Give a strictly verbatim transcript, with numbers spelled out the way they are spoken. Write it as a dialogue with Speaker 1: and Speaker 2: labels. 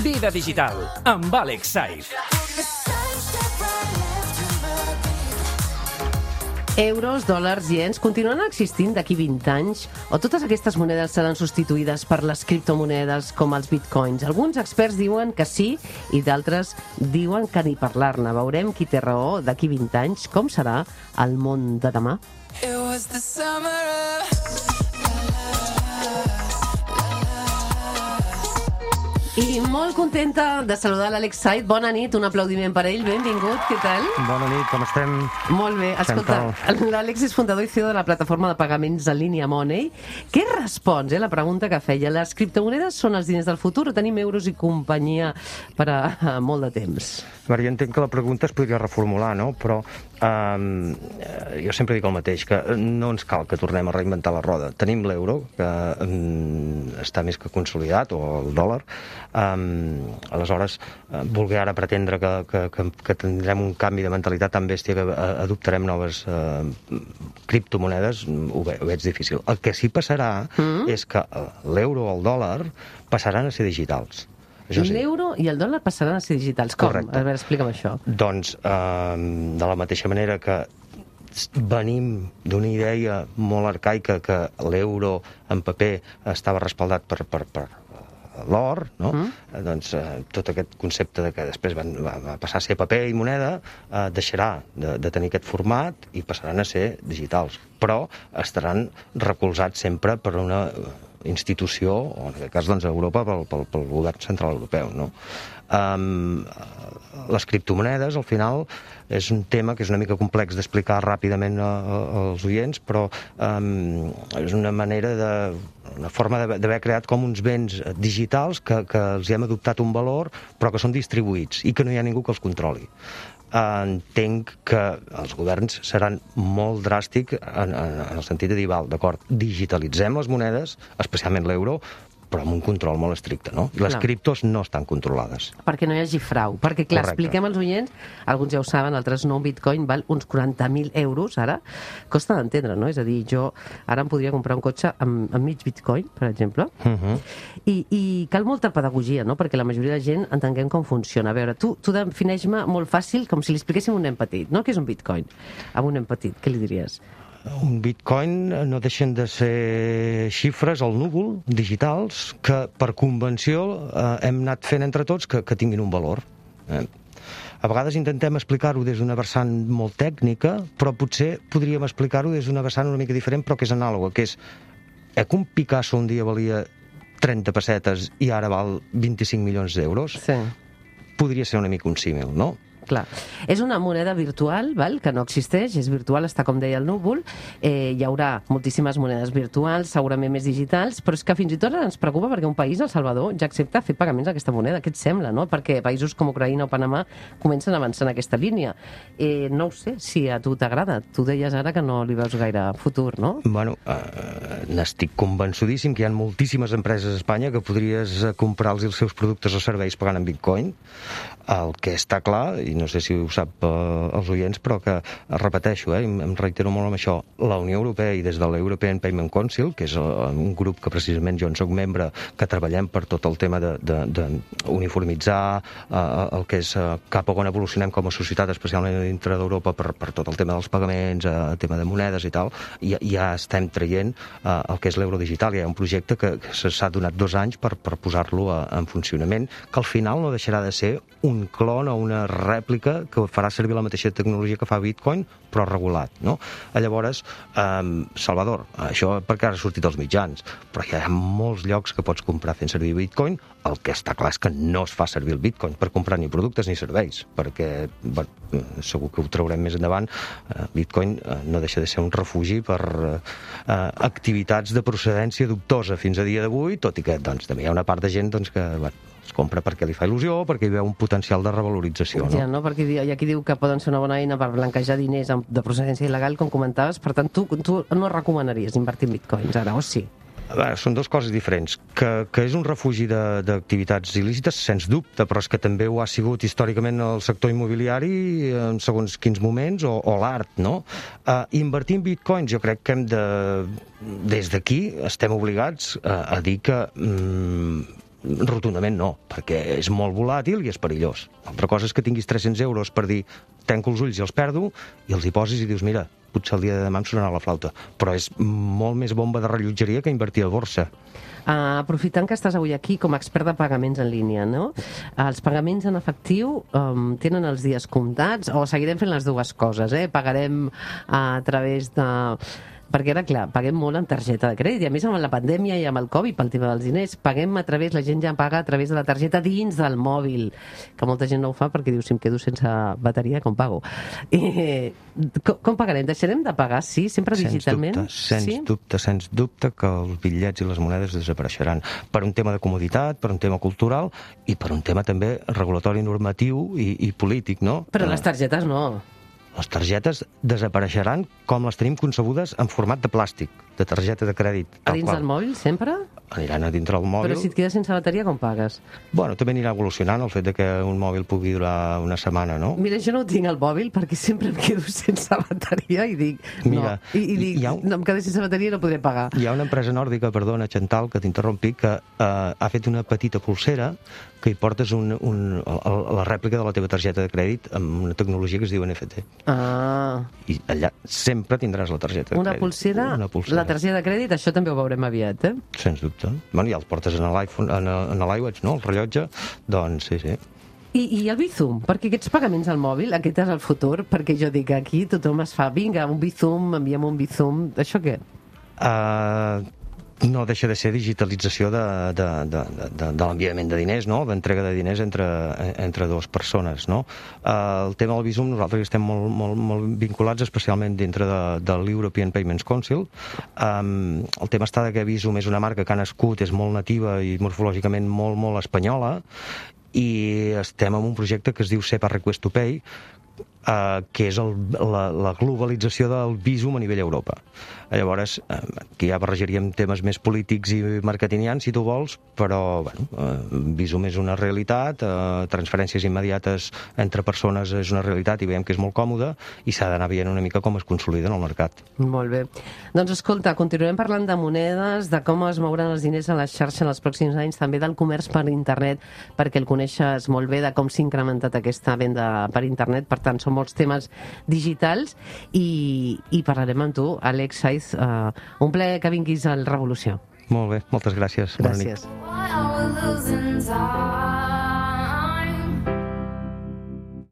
Speaker 1: Vida digital amb Àlex Saiz.
Speaker 2: Euros, dòlars, iens, continuaran existint d'aquí vint anys? O totes aquestes monedes seran substituïdes per les criptomonedes com els bitcoins? Alguns experts diuen que sí i d'altres diuen que ni parlar-ne. Veurem qui té raó d'aquí vint anys. Com serà el món de demà? It was the summer of... I molt contenta de saludar l'Àlex Saiz. Bona nit, un aplaudiment per ell. Benvingut, què tal?
Speaker 3: Bona nit, com estem?
Speaker 2: Molt bé. Escolta, l'Àlex és fundador i C E O de la plataforma de pagaments en línia Money. Què respons, eh, la pregunta que feia? Les criptomonedes són els diners del futur o tenim euros i companyia per a, a molt de temps?
Speaker 3: A veure, jo entenc que la pregunta es podria reformular, no? Però um, jo sempre dic el mateix, que no ens cal que tornem a reinventar la roda. Tenim l'euro, que um, està més que consolidat, o el dòlar. Um, aleshores, uh, voler ara pretendre que, que, que, que tindrem un canvi de mentalitat tan bèstia que uh, adoptarem noves uh, criptomonedes, ho, ve, ho veig difícil. El que sí passarà mm. és que l'euro o el dòlar passaran a ser digitals.
Speaker 2: Sí. L'euro i el dòlar passaran a ser digitals. Com?
Speaker 3: Correcte.
Speaker 2: A veure, explica'm això.
Speaker 3: Doncs, eh, de la mateixa manera que venim d'una idea molt arcaica que l'euro en paper estava respaldat per, per, per l'or, no? Mm. Doncs eh, tot aquest concepte de que després van, va, va passar a ser paper i moneda eh, deixarà de, de tenir aquest format i passaran a ser digitals. Però estaran recolzats sempre per una institució, o en aquest cas doncs, a Europa, pel, pel, pel govern central europeu, no? Um, les criptomonedes, al final, és un tema que és una mica complex d'explicar ràpidament a, a, als oients, però um, és una manera de... una forma d'haver creat com uns béns digitals que, que els hem adoptat un valor, però que són distribuïts i que no hi ha ningú que els controli. Entenc que els governs seran molt dràstics en, en, en el sentit de dir, val, d'acord, digitalitzem les monedes, especialment l'euro, però amb un control molt estricte, no? I les
Speaker 2: Clar.
Speaker 3: criptos no estan controlades.
Speaker 2: Perquè no hi hagi frau. Perquè, clar,
Speaker 3: Correcte.
Speaker 2: expliquem als oients, alguns ja ho saben, altres no, un bitcoin val uns quaranta mil euros, ara. Costa d'entendre, no? És a dir, jo ara em podria comprar un cotxe amb, amb mig bitcoin, per exemple,
Speaker 3: Uh -huh.
Speaker 2: I, i cal molta pedagogia, no? Perquè la majoria de gent entenguem com funciona. A veure, tu, tu defineix-me molt fàcil, com si li expliquéssim a un nen petit, no? Què és un bitcoin? A un nen petit, què li diries?
Speaker 3: Un bitcoin no deixen de ser xifres al núvol, digitals, que per convenció eh, hem anat fent entre tots que, que tinguin un valor. Eh? A vegades intentem explicar-ho des d'una vessant molt tècnica, però potser podríem explicar-ho des d'una vessant una mica diferent, però que és anàloga, que és eh, que un Picasso un dia valia trenta pessetes i ara val vint-i-cinc milions d'euros?
Speaker 2: Sí.
Speaker 3: Podria ser una mica un símil, no?
Speaker 2: Clar. És una moneda virtual, val? Que no existeix, és virtual, està com deia el núvol, eh, hi haurà moltíssimes monedes virtuals, segurament més digitals, però és que fins i tot ens preocupa perquè un país, El Salvador, ja accepta fer pagaments d'aquesta moneda. Què et sembla, no? Perquè països com Ucraïna o Panamà comencen a avançar en aquesta línia. Eh, no ho sé si a tu t'agrada. Tu deies ara que no li veus gaire futur, no?
Speaker 3: Bueno, eh, n'estic convençudíssim que hi ha moltíssimes empreses a Espanya que podries comprar-los els seus productes o serveis pagant en bitcoin. El que està clar, i no sé si ho sap eh, els oients, però que repeteixo, eh, em, em reitero molt amb això, la Unió Europea i des de l'European Payment Council, que és eh, un grup que precisament jo en soc membre, que treballem per tot el tema de, de, de uniformitzar eh, el que és eh, cap a on evolucionem com a societat, especialment dintre d'Europa, per, per tot el tema dels pagaments, eh, el tema de monedes i tal, i ja estem traient eh, el que és l'euro digital. Hi ha un projecte que, que s'ha donat dos anys per, per posar-lo en funcionament, que al final no deixarà de ser un clon o una rèplica que farà servir la mateixa tecnologia que fa Bitcoin, però regulat, no? Llavors, eh, Salvador, això perquè ara ha sortit als mitjans, però hi ha molts llocs que pots comprar fent servir Bitcoin. El que està clar és que no es fa servir el Bitcoin per comprar ni productes ni serveis, perquè bueno, segur que ho traurem més endavant. Eh, Bitcoin eh, no deixa de ser un refugi per eh, activitats de procedència dubtosa fins a dia d'avui, tot i que doncs, també hi ha una part de gent doncs, que bueno, es compra perquè li fa il·lusió, perquè hi veu un potencial de revalorització. No?
Speaker 2: Ja, no? Perquè hi ha qui diu que poden ser una bona eina per blanquejar diners de procedència il·legal, com comentaves. Per tant, tu, tu no recomanaries invertir en bitcoins ara, o sí?
Speaker 3: A veure, són dues coses diferents. Que, que és un refugi d'activitats il·lícites, sens dubte, però és que també ho ha sigut històricament el sector immobiliari en segons quins moments, o, o l'art, no? Uh, invertir en bitcoins, jo crec que hem de... Des d'aquí estem obligats a, a dir que... Mm, rotundament no, perquè és molt volàtil i és perillós. Altra cosa és que tinguis tres-cents euros per dir tanco els ulls i els perdo, i els hi posis i dius, mira, potser el dia de demà em sonarà la flauta. Però és molt més bomba de rellotgeria que invertir a borsa.
Speaker 2: Uh, aprofitant que estàs avui aquí com a expert de pagaments en línia, no? Els pagaments en efectiu um, tenen els dies comptats o seguirem fent les dues coses, eh? Pagarem a través de... Perquè ara, clar, paguem molt en targeta de crèdit, i a més amb la pandèmia i amb el Covid, pel tema dels diners, paguem a través, la gent ja paga a través de la targeta dins del mòbil, que molta gent no ho fa perquè diu, si em quedo sense bateria, com pago? I, com, com pagarem? Deixarem de pagar, sí, sempre digitalment?
Speaker 3: Sens dubte, sens
Speaker 2: sí?
Speaker 3: dubte, sens dubte que els bitllets i les monedes desapareixeran per un tema de comoditat, per un tema cultural i per un tema també regulatori normatiu i, i polític, no?
Speaker 2: Però les targetes no.
Speaker 3: Les targetes desapareixeran com les tenim concebudes en format de plàstic, de targeta de crèdit.
Speaker 2: A dins del mòbil, sempre?
Speaker 3: Aniran a dintre del mòbil.
Speaker 2: Però si et quedes sense bateria, com pagues?
Speaker 3: Bueno, també anirà evolucionant el fet de que un mòbil pugui durar una setmana, no?
Speaker 2: Mira, jo no ho tinc al mòbil perquè sempre em quedo sense bateria i dic,
Speaker 3: Mira,
Speaker 2: no, i, i dic,
Speaker 3: hi ha un...
Speaker 2: no, em quedo sense bateria i no podré pagar.
Speaker 3: Hi ha una empresa nòrdica, perdona, Chantal, que t'interrompi, que eh, ha fet una petita pulsera que hi portes un, un, la rèplica de la teva targeta de crèdit amb una tecnologia que es diu N F T.
Speaker 2: Ah.
Speaker 3: I allà sempre tindràs la targeta de
Speaker 2: Una
Speaker 3: crèdit.
Speaker 2: pulsera,
Speaker 3: una pulsera,
Speaker 2: la targeta de crèdit, això també ho veurem aviat, eh?
Speaker 3: Sens dubte. Bueno, ja el portes en l'iPhone, en l'iWatch, no?, el rellotge, doncs sí, sí.
Speaker 2: I, I el Bizum, perquè aquests pagaments al mòbil, aquest és el futur, perquè jo dic, aquí tothom es fa, vinga, un Bizum, enviem un Bizum, això què?
Speaker 3: Uh, no deixa de ser digitalització de, de, de, de, de l'enviament de diners, no?, d'entrega de diners entre, entre dues persones, no? Uh, el tema del Bizum, nosaltres estem molt, molt, molt vinculats, especialment dintre de, de l'European Payments Council. Um, el tema està de que Bizum és una marca que ha nascut, és molt nativa i morfològicament molt, molt espanyola, i estem en un projecte que es diu SEPA Request to Pay, Uh, que és el, la, la globalització del Bizum a nivell Europa. Llavors, uh, aquí ja barrejaríem temes més polítics i marketingians, si tu vols, però bueno, uh, Bizum és una realitat, uh, transferències immediates entre persones és una realitat i veiem que és molt còmode i s'ha d'anar veient una mica com es consolida en el mercat.
Speaker 2: Molt bé. Doncs escolta, continuarem parlant de monedes, de com es mouran els diners a la xarxa en els pròxims anys, també del comerç per internet, perquè el coneixes molt bé, de com s'ha incrementat aquesta venda per internet. Per tant, són molts temes digitals i, i parlarem amb tu, Àlex Saiz. Uh, un plaer que vinguis al Revolució.
Speaker 3: Molt bé, moltes gràcies.
Speaker 2: Gràcies.
Speaker 3: Bona nit.